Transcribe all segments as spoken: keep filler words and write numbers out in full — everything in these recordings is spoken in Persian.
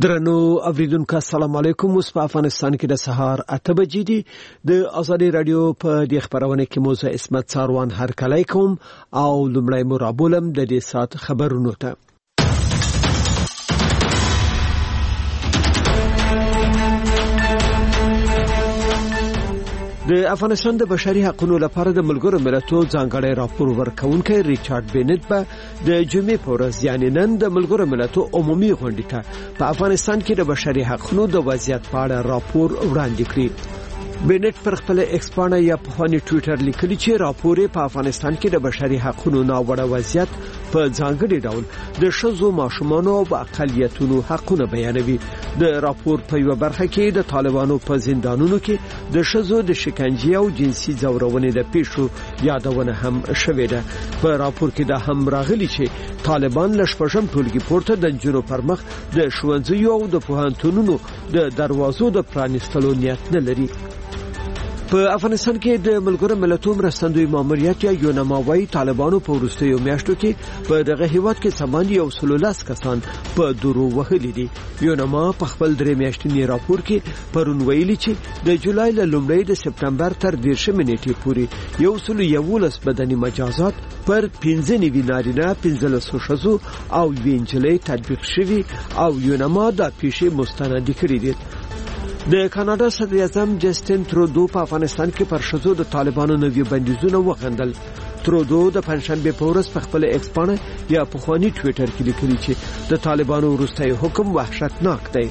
درنو اوریدونکو السلام علیکم. اوس په افغانستان کې د سهار اته بجې دي. د ازادي رادیو په دې خبرونه کې موزه اسمت څاروان هرکلی کوم او لومړی مو رابولم د دې ساعت خبرونو ته. د افغانستان د بشري حقونو لپاره د ملګرو ملتونو ځانګړی راپور ورکوونکی ریچارډ بینټ به د جمعې په ورځ یعنې نن د ملګرو ملتونو عمومي غونډې ته په افغانستان کې د بشري حقونو د وضعیت په اړه راپور وړاندې کړي. بینټ پر خپل ایکس پاڼه یا پخواني ټویټر لیکلي چې راپور یې په افغانستان کې د بشري حقونو ناوړه وضعیت په ځانګړي ډول د ښځو، ماشومانو او اقلیتونو حقونه بیانوي. د راپور په یوه برخه کې د طالبانو په زندانونو کې د ښځو د شکنجې او جنسي ځورونې د پیښو یادونه هم شوې ده. په راپور کې دا هم راغلي چې طالبان له شپږم ټولګي پورته د نجونو پر مخ د ښوونځیو او د پوهنتونونو د دروازو د پرانیستلو نیت نه لري. په افغانستان کې د ملګرو ملتونو مرستندوی ماموریت یا یونما وایي طالبانو په وروستیو میاشتو کې په دغه هیواد کې څه باندې یو سل او لس کسان په درو وهلي دي. یونما په خپل درې میاشتني راپور کې پرون ویلي چې د جولای له لومړۍ د سپټمبر تر دېرشمې نېټې پورې یو سل او یوولس بدني مجازات پر پنځه نوي نارینه، پنځلسو ښځو او یوې نجلۍ تطبیق شوي او یونما دا پیښې مستندې کړې دي. د کاناډا صدراعظم جسټن ترودو په افغانستان کې پر ښځو د طالبانو نوي بندیزونه وغندل. ترودو د پنجشنبې په ورځ په خپل ایکس پاڼه یا پخواني ټویټر کې لیکلي چې د طالبانو وروستی حکم وحشتناک دی.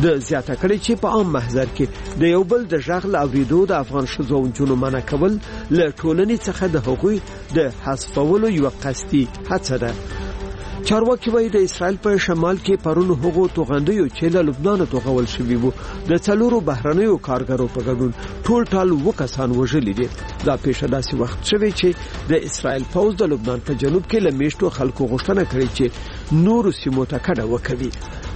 د زیاته کړې چې په عام محضر کې د یو بل د غږ له اورېدو د افغان ښځو او نجونو منع کول له ټولنې څخه د هغوی د حذفولو یوه قصدي هڅه ده. چارواکي وایي د اسرائیل په شمال کې پرون هغو توغندیو چې له لبنانه توغول شوي وو د څلورو بهرنیو کارګرو په ګډون ټول ټال اووه کسان وژلي دي. دا پیښه داسې وخت شوې چې د اسرائیل پوځ د لبنان په جنوب کې له میشتو خلکو غوښتنه کړې چې نورو سیمو ته کډه وکوي.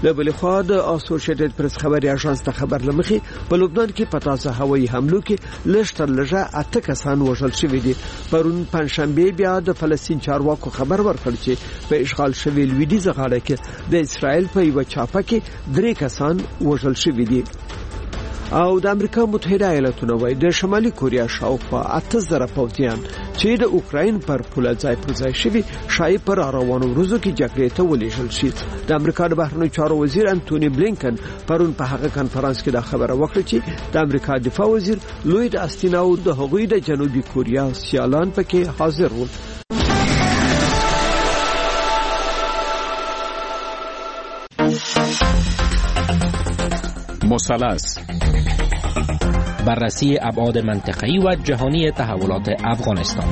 له بلې خوا د اسوشیټډ پرس خبري اژانس د خبر له مخې په لبنان کې په تازه هوایي حملو کې لږ تر لږه اته کسان وژل شوي دي. پرون پنجشنبه بیا د فلسطین چارواکو خبر ورکړ چې په اشغال شوې لویدیځه غاړه کې د اسرائیل په یوه چاپه کې درې کسان وژل شوي دي. او د امریکا متحده ایالتونه وایي د شمالي کوریا شاوخوا اته زره پوځیان چې د اوکراین پر پوله ځای پر ځای شوي ښایي په راروانو ورځو کې جګړې ته ولېږل شي. د امریکا د بهرنیو چارو وزیر انتوني بلینکن پرون په هغه کنفرانس کې دا خبره وکړه چې د امریکا دفاع وزیر لوید استین او د هغوی د جنوبي کوریا سیالان پکې حاضر وو. مثلث بررسی ابعاد منطقه‌ای و جهانی تحولات افغانستان.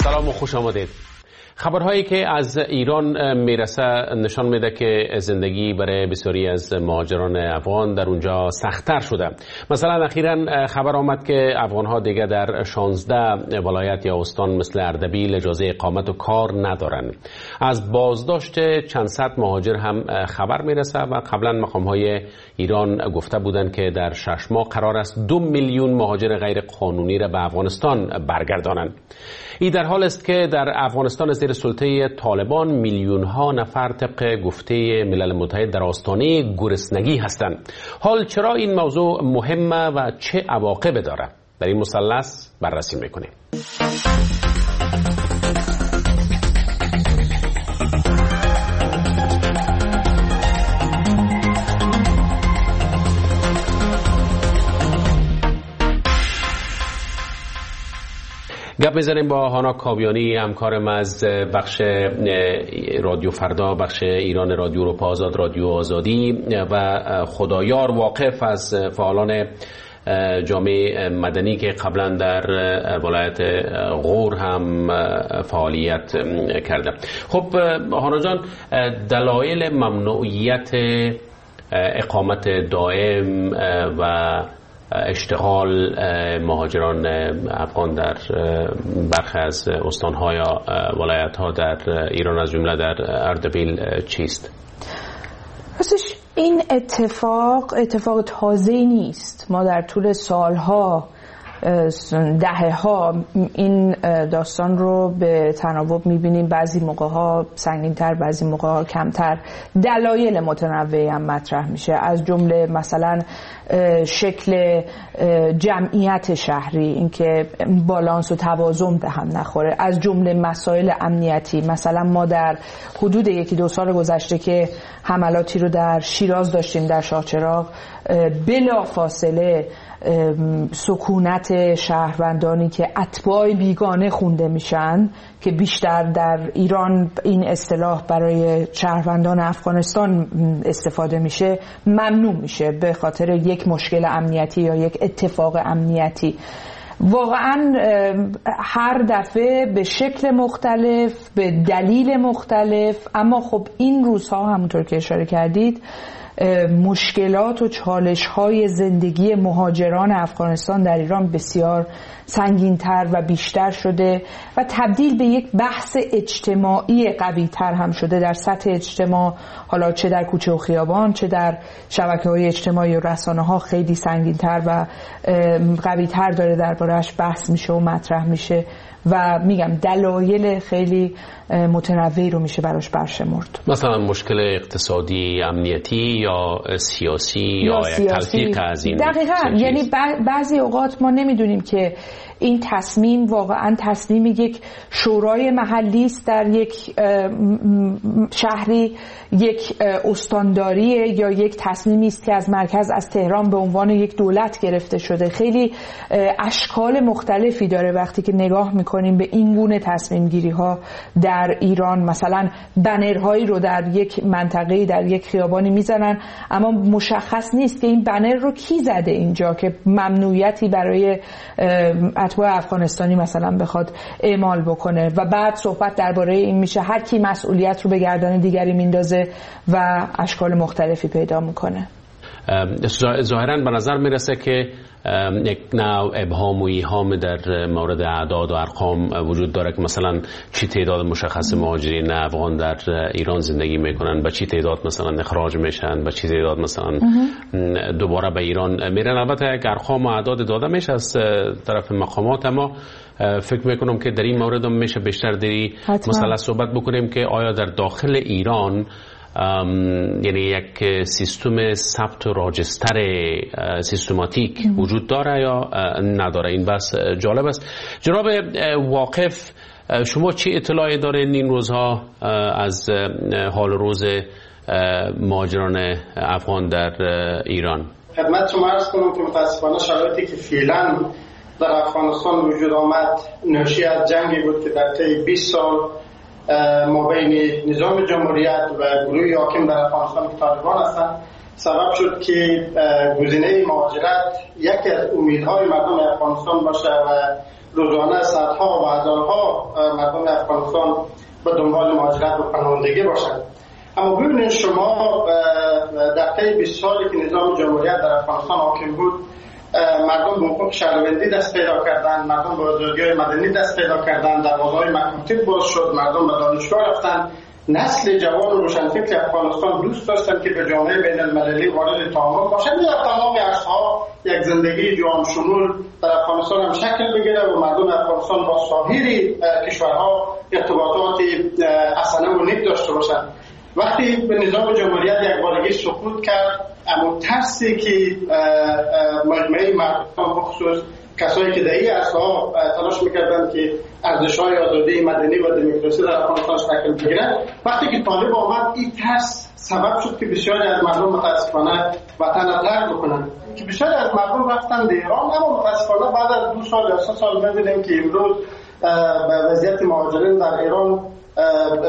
سلام و خوش آمدید. خبرهایی که از ایران میرسه نشان میده که زندگی برای بسیاری از مهاجران افغان در اونجا سخت‌تر شده. مثلا اخیراً خبر آمد که افغانها دیگه در شانزده ولایت یا استان مثل اردبیل اجازه اقامت و کار ندارند. از بازداشت چند صد مهاجر هم خبر میرسه و قبلا مقام‌های ایران گفته بودند که در شش ماه قرار است دو میلیون مهاجر غیر قانونی را به افغانستان برگردانند. این در حال است که در افغانستان زیر سلطه طالبان میلیون ها نفر طبق گفته ملل متحد در آستانه گرسنگی هستند. حال چرا این موضوع مهمه و چه عواقب داره؟ در این مثلث بررسی میکنیم. گپ میزنیم با هانا کاویانی، همکارم از بخش رادیو فردا، بخش ایران رادیو اروپا آزاد، رادیو آزادی، و خدایار واقف از فعالان جامعه مدنی که قبلا در ولایت غور هم فعالیت کرده. خب هانا جان، دلایل ممنوعیت اقامت دائم و اشتغال مهاجران افغان در برخی از استان‌ها یا ولایت‌ها در ایران از جمله در اردبیل چیست؟ راستش این اتفاق اتفاق تازه‌ای نیست. ما در طول سالها دهه ها این داستان رو به تناوب میبینیم، بعضی موقع ها سنگین‌تر، بعضی موقع ها کمتر. دلایل متنوعی هم مطرح میشه، از جمله مثلا شکل جمعیت شهری، اینکه بالانس و توازن به هم نخوره، از جمله مسائل امنیتی. مثلا ما در حدود یکی دو سال گذشته که حملاتی رو در شیراز داشتیم، در شاهچراغ، بلا فاصله سکونت شهروندانی که اتباع بیگانه خونده میشن، که بیشتر در ایران این اصطلاح برای شهروندان افغانستان استفاده میشه، ممنوع میشه به خاطر یک مشکل امنیتی یا یک اتفاق امنیتی. واقعا هر دفعه به شکل مختلف، به دلیل مختلف، اما خب این روزها همونطور که اشاره کردید مشکلات و چالش‌های زندگی مهاجران افغانستان در ایران بسیار سنگین‌تر و بیشتر شده و تبدیل به یک بحث اجتماعی قوی‌تر هم شده در سطح اجتماع، حالا چه در کوچه و خیابان، چه در شبکه‌های اجتماعی و رسانه‌ها خیلی سنگین‌تر و قوی‌تر داره درباره‌اش بحث میشه و مطرح میشه و میگم دلایل خیلی متنوعی رو میشه براش برشمرد، مثلا مشکل اقتصادی، امنیتی یا سیاسی یا, یا یک تلفیق از این. دقیقاً، یعنی بعضی اوقات ما نمیدونیم که این تصمیم واقعا تصمیم یک شورای محلی است در یک شهری، یک استانداری، یا یک تصمیمی است که از مرکز، از تهران به عنوان یک دولت گرفته شده. خیلی اشکال مختلفی داره وقتی که نگاه میکنیم به این گونه تصمیم گیری ها در ایران. مثلا بنرهایی رو در یک منطقه‌ای، در یک خیابانی میزنن، اما مشخص نیست که این بنر رو کی زده اینجا که ممنوعیتی برای اتباع افغانستانی مثلا بخواد اعمال بکنه، و بعد صحبت درباره این میشه هر کی مسئولیت رو به گردن دیگری میندازه و اشکال مختلفی پیدا میکنه. ظاهراً به نظر میرسه که یک نوع ابهام و ایهام در مورد اعداد و ارقام وجود داره که مثلا چی تعداد مشخص مهاجرین افغان در ایران زندگی میکنن، با چی تعداد مثلا اخراج میشن، با چی تعداد مثلا دوباره به ایران میرن. البته یک ارقام و اعداد داده میشه از طرف مقامات، اما فکر میکنم که در این مورد هم میشه بیشتر در این مسئله صحبت بکنیم که آیا در داخل ایران یعنی یک سیستم ثبت و راجستر سیستماتیک وجود داره یا نداره. این بس جالب است. جناب واقف، شما چه اطلاعی دارین این روزها از حال روز مهاجران افغان در ایران؟ خدمت شما عرض کنم که متاسفانه شرایطی که فعلا در افغانستان وجود آمد ناشی از جنگی بود که در طی بیست سال ما بین نظام جمهوریت و گروه حاکم در افغانستان که طالبان هستند سبب شد که گزینه مهاجرت یکی از امیدهای مردم افغانستان باشه و روزانه صدها و هزارها مردم افغانستان به دنبال مهاجرت و پناهندگی باشند. اما ببینید شما در طی بیست سالی که نظام جمهوریت در افغانستان حاکم بود، مردم به حقوق شهروندی دست پیدا کردن، مردم به آزادی‌های مدنی دست پیدا کردن، دروازه‌های مکاتب باز شد، مردم به دانشگاه رفتن. نسل جوان و روشنفکر افغانستان دوست داشتن که به جامعه بین المللی وارد تعامل باشند. در تمام عرصه‌ها یک زندگی جهان شمول در افغانستان هم شکل بگیره و مردم افغانستان با سایر کشورها ارتباطات حسنه و نیک داشته باشند. وقتی به نظام جمهوریت یک بارگی سقوط کرد، اما ترسی که مجموعه مردم بخصوص کسایی که در این عرصه‌ها تلاش میکردند که ارزش‌های آزادی مدنی و دموکراسی در افغانستان شکل بگیرد، وقتی که طالب آمد این ترس سبب شد که بسیاری از مردم متاسفانه وطن را ترک بکنند، که بسیاری از مردم رفتن به ایران. اما متاسفانه بعد از دو سال یا سه سال می‌بینیم که امروز وضعیت مهاجرین در ایران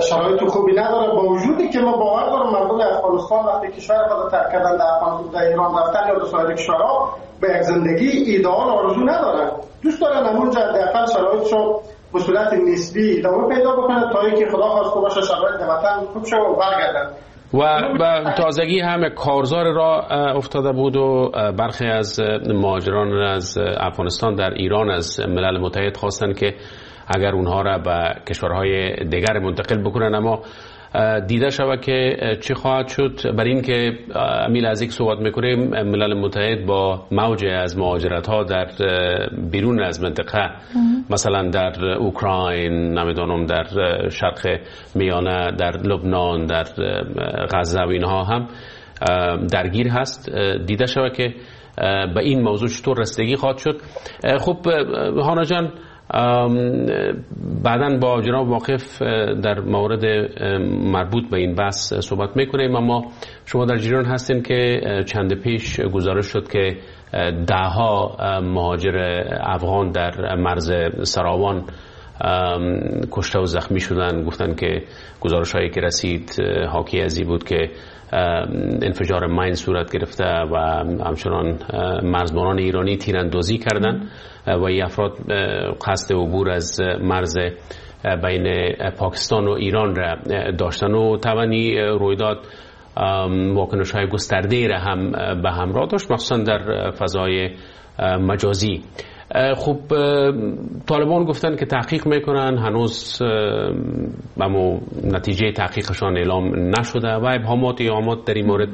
شرایط خوبی نداره، با وجودی که ما باور داریم مردم افغانستان وقتی کشور خود ترک کردن در افغانستان در ایران رفتن یا در سایر کشورها به یک زندگی ایدئال آرزو ندارن، دوست دارن همونجا حداقل شرایطشو به صورت نسبی ادامه پیدا بکنه تا اینکه خدا خواسته باشه شرایط وطن خوب شه و برگردن. و تازگی هم کارزار را افتاده بود و برخی از مهاجران از افغانستان در ایران از ملل متحد خواستند که اگر اونها را به کشورهای دیگر منتقل بکنن، اما دیده شود که چه خواهد شد. بر این که امیل از یک صحبت میکنیم، ملل متحد با موج از مهاجرت ها در بیرون از منطقه، مثلا در اوکراین، نمیدانم در شرق میانه، در لبنان، در غزه و اینها هم درگیر هست. دیده شود که به این موضوع چطور رسیدگی خواهد شد. خب هانا جان، بعداً با جناب واقف در مورد مربوط به این بحث صحبت میکنیم، اما شما در جریان هستین که چند پیش گزارش شد که ده ها مهاجر افغان در مرز سراوان کشته و زخمی شدن. گفتن که گزارش هایی که رسید حاکی از این بود که انفجار ماین صورت گرفته و همچنان مرزبانان ایرانی تیراندازی کردند و این افراد قصد عبور از مرز بین پاکستان و ایران را داشتن و طبعاً رویداد واکنش های گسترده را هم به همراه داشت، مخصوصا در فضای مجازی. خب طالبان گفتن که تحقیق میکنن، هنوز اما نتیجه تحقیقشان اعلام نشده و ابهامات ایهامات در این مورد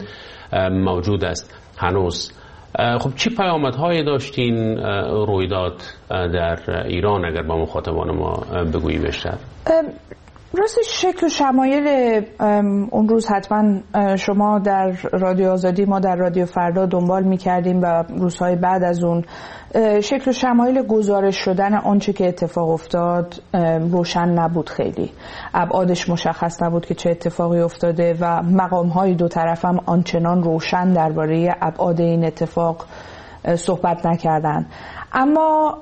موجود است هنوز. خب چی پیامدهای داشتین رویداد در ایران اگر با مخاطبان ما بگویی بیشتر؟ راستش شکل و شمایل اون روز حتما شما در رادیو آزادی، ما در رادیو فردا دنبال می‌کردیم و روزهای بعد از اون شکل و شمایل گزارش شدن آنچه که اتفاق افتاد روشن نبود، خیلی ابعادش مشخص نبود که چه اتفاقی افتاده و مقام‌های دو طرف هم آنچنان روشن درباره ابعاد این اتفاق صحبت نکردن. اما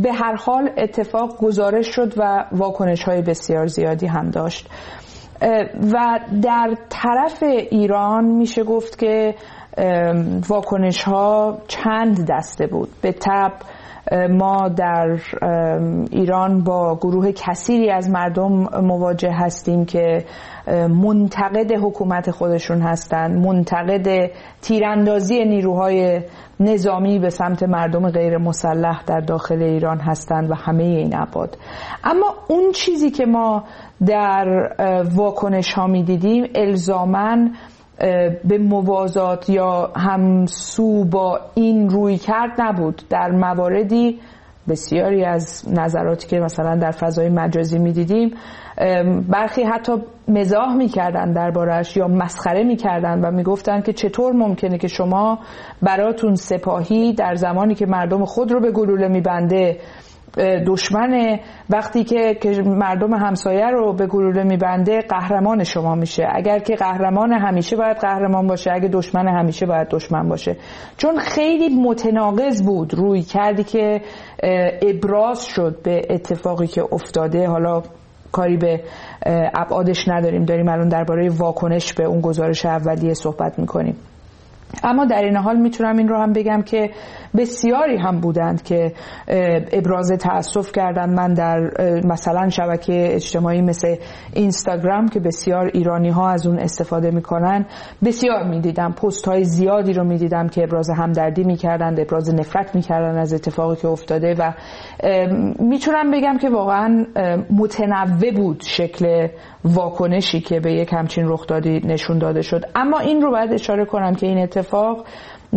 به هر حال اتفاق گزارش شد و واکنش‌های بسیار زیادی هم داشت و در طرف ایران میشه گفت که واکنش‌ها چند دسته بود. به تبع ما در ایران با گروه کثیری از مردم مواجه هستیم که منتقد حکومت خودشون هستند، منتقد تیراندازی نیروهای نظامی به سمت مردم غیر مسلح در داخل ایران هستند و همه این ابعاد. اما اون چیزی که ما در واکنش ها می دیدیم الزاماً به موازات یا همسو با این روی کرد نبود. در مواردی بسیاری از نظراتی که مثلا در فضای مجازی میدیدیم برخی حتی مزاح میکردن دربارش یا مسخره میکردن و میگفتن که چطور ممکنه که شما براتون سپاهی در زمانی که مردم خود رو به گلوله میبنده دشمن، وقتی که مردم همسایه رو به گلوله میبنده قهرمان شما میشه. اگر که قهرمان همیشه باید قهرمان باشه، اگه دشمن همیشه باید دشمن باشه. چون خیلی متناقض بود روی کردی که ابراز شد به اتفاقی که افتاده. حالا کاری به ابعادش نداریم، داریم الان درباره واکنش به اون گزارش اولیه صحبت میکنیم. اما در این حال میتونم این رو هم بگم که بسیاری هم بودند که ابراز تأسف کردند. من در مثلا شبکه اجتماعی مثل اینستاگرام که بسیار ایرانی ها از اون استفاده میکنن بسیار میدیدم، پست های زیادی رو میدیدم که ابراز همدردی میکردند، ابراز نفرت میکردند از اتفاقی که افتاده و میتونم بگم که واقعا متنوع بود شکل واکنشی که به یک همچین رخدادی نشون داده شد. اما این رو باید اشاره کنم که این اتفاق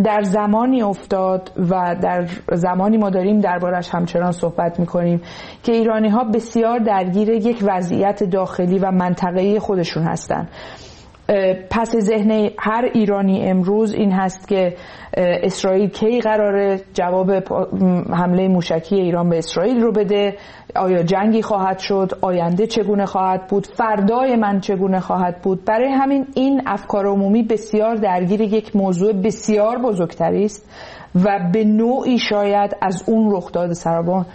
در زمانی افتاد و در زمانی ما داریم دربارش همچنان صحبت میکنیم که ایرانی ها بسیار درگیر یک وضعیت داخلی و منطقه‌ای خودشون هستند. پس ذهن هر ایرانی امروز این هست که اسرائیل کی قراره جواب حمله موشکی ایران به اسرائیل رو بده، آیا جنگی خواهد شد، آینده چگونه خواهد بود، فردای من چگونه خواهد بود. برای همین این افکار عمومی بسیار درگیر یک موضوع بسیار بزرگتری است و به نوعی شاید از اون رخداد سراوان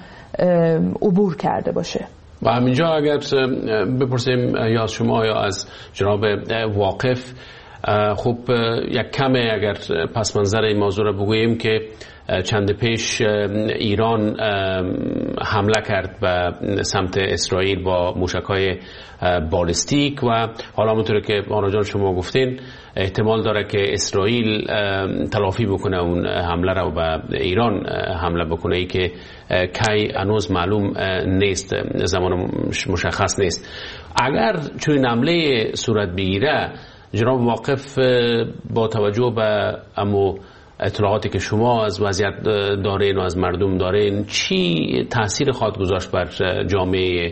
عبور کرده باشه. و همینجا اگر بپرسیم یا از شما یا از جناب واقف، خب یک کم اگر پس منظر این موضوع را بگوییم که چند پیش ایران حمله کرد به سمت اسرائیل با موشک‌های بالستیک و حالا همونطور که آنا جان شما گفتین احتمال داره که اسرائیل تلافی بکنه اون حمله را به ایران حمله بکنه، ای که کی هنوز معلوم نیست، زمان مشخص نیست. اگر چون حمله صورت بگیره جناب واقف، با توجه به امو اطلاعاتی که شما از وضعیت دارین و از مردم دارین، چی تاثیر خواهد گذاشت بر جامعه